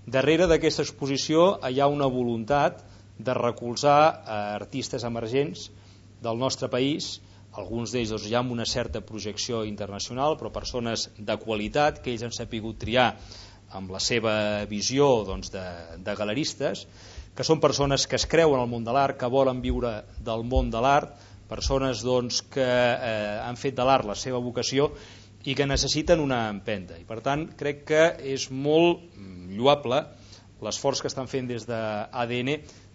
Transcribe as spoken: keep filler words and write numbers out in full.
Darrere d'aquesta exposició hi ha una voluntat de recolzar artistes emergents del nostre país, alguns d'ells doncs, ja amb una certa projecció internacional, però persones de qualitat que ells han sapigut triar amb la seva visió doncs, de, de galeristes, que són persones que es creuen al món de l'art, que volen viure del món de l'art, persones doncs, que eh, han fet de l'art la seva vocació i que necessiten una empenta. I per tant crec que és molt lloable l'esforç que estan fent des d'A D N